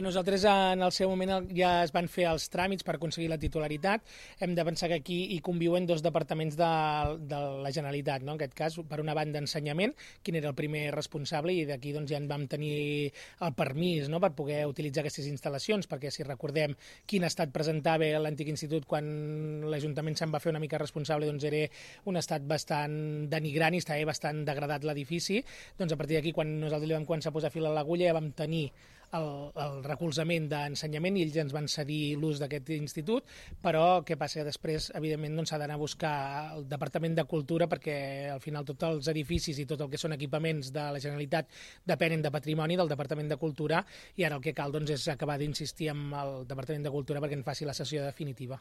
Nosaltres en el seu moment ja es van fer els tràmits per aconseguir la titularitat. Hem de pensar que aquí hi conviuen dos departaments de la Generalitat, no? En aquest cas, per una banda, ensenyament, quin era el primer responsable, i d'aquí doncs, ja en vam tenir el permís, no?, per poder utilitzar aquestes instal·lacions, perquè si recordem quin estat presentava l'antic institut quan l'Ajuntament se'n va fer una mica responsable, doncs era un estat bastant denigrant i estava bastant degradat l'edifici. Doncs a partir d'aquí, quan nosaltres li vam començar a posar fil a l'agulla, ja vam tenir el recolzament d'ensenyament i ells ens van cedir l'ús d'aquest institut, però què passa? Que després, evidentment, s'ha d'anar a buscar el Departament de Cultura, perquè al final tots els edificis i tot el que són equipaments de la Generalitat depenen de patrimoni del Departament de Cultura, i ara el que cal és acabar d'insistir amb el Departament de Cultura perquè en faci la sessió definitiva.